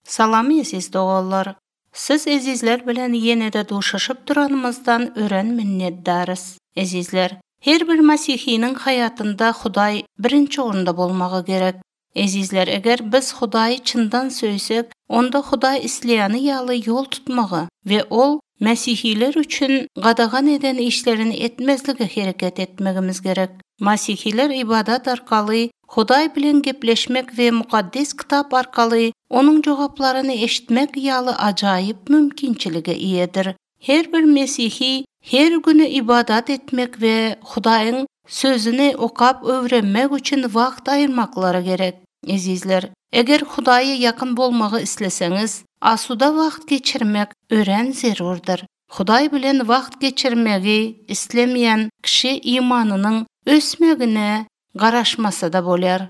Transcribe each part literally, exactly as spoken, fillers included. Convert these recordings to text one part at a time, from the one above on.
Salam esiz dogallar. Siz ezizler bilen yenede duşaşıp duranımızdan ören minnetdarız. Ezizler, her bir Masihinin hayatında Huday birinci orunda bolmagy gerek. Ezizler, eger biz Hudaýy çyndan söýsek, onda Hudaý isleýäni ýaly yol tutmagy we ol Mesihiler üçin gadagan eden işlerini etmezlige hereket etmegimiz gerek. Masihiler ibadat arkaly Hudaý bilen gepleşmek we mukaddes kitap arkaly onun jogaplaryny eşitmek ýaly ajaýyp mümkinçilige iýedir. Her bir Mesihi her günü ibadat etmek we Hudaýyň sözüni okap öwrenmek üçin wagt aýyrmaklary gerek. Ezizler, eger Hudaýa ýakyn bolmagy isleseňiz, asuda wagt geçirmek ören zerurdur. Hudaý bilen wagt geçirmegi islemeýän kişi imanynyň ösmegine garaşmasa da bolar.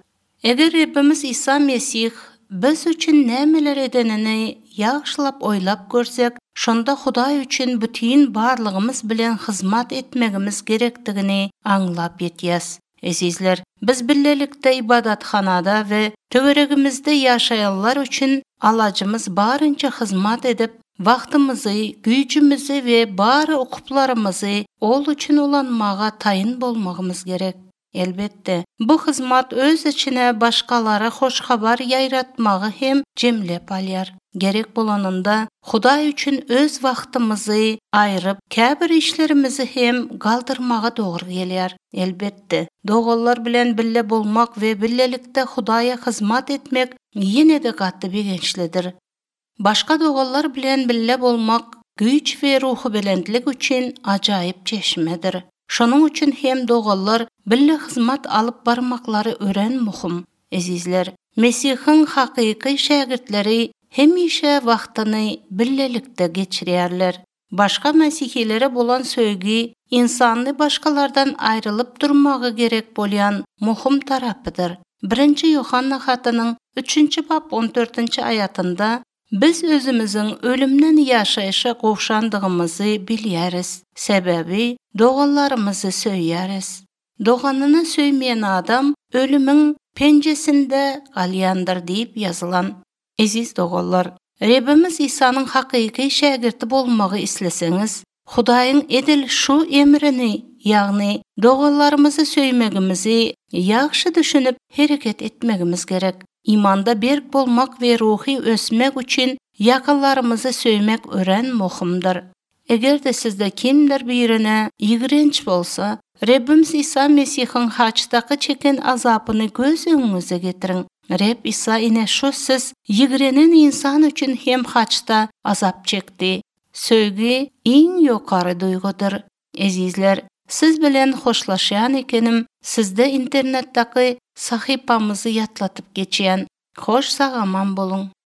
Eger Rabbimiz İsa Mesih biz üçin nämeler edenini ýagşylap oýlap görsek, şonda Hudaý üçin bütün barlygymyz bilen hyzmat etmegimiz gerekdigini aňlap ýetýäs. Ezizler, biz birlelikde ibadathanada we töweregimizde ýaşaýanlar üçin alajymyz barınça hyzmat edip, wagtymyzy, güýjümizi we bary okuplarymyzy ol üçin ulanmaga taýyn bolmagymyz gerek. Elbetde, bu hyzmat öz içine başkalara hoş habar ýaýratmagy hem jemlep alýar. Gerek bolanynda Hudaý üçin öz wagtymyzy aýryp, käbir işlerimizi hem galdyrmaga dogry gelýär. Elbetde, dogallar bilen bille bolmak we billelikde Hudaýa hyzmat etmek ýene-de gatty begençlidir. Başka dogallar bilen bille bolmak güýç we ruhy belendlik üçin ajaýyp çeşmedir. Şonuň üçin hem dogallar bille hyzmat alyp barmaklary ören muhim. Ezizler, Mesihiň hakyky şägirdleri hemişe wagtyny billelikde geçirýärler. Başka Mesihilere bolan söýgi insany başkalardan aýrylyp durmagy gerek bolýan muhim tarapydyr. birinji Yohanna hatynyň üçünçi bab on dörtünçi ayatynda biz özümizin ölümden ýaşaýşa gowşandygymyzy bilýäris. Sebebi dogallarymyzy söýýäris. Doganyny söýmeýän adam ölümüň penjesinde galýandyr diýip ýazylan. Eziz dogallar, Rabbimiz İsa'nın hakyky şägirdi bolmagy isleseňiz, Hudaýyň edil şu emrini, ýagny dogallarymyzy söýmegimizi ýagşy düşünüp hereket etmegimiz gerek. İmanda berk bolmak we ruhy ösmek üçin ýakynlarymyzy söýmek ören muhimdir. Eger-de sizde kimdir birine ýigrenç bolsa, Rabbimiz İsa Mesihiň haçdaky çeken azapyny göz öňüňize getiriň. Rab İsa ine şu siz ýigrenen insan üçin hem haçda azap çekdi. Söýgi iň ýokary duýgudyr. Ezizler, siz bilen hoşlaşýan ekenim, sizde internetdaki sahypamyzy ýatlatyp geçýän. Hoş sagaman bolun.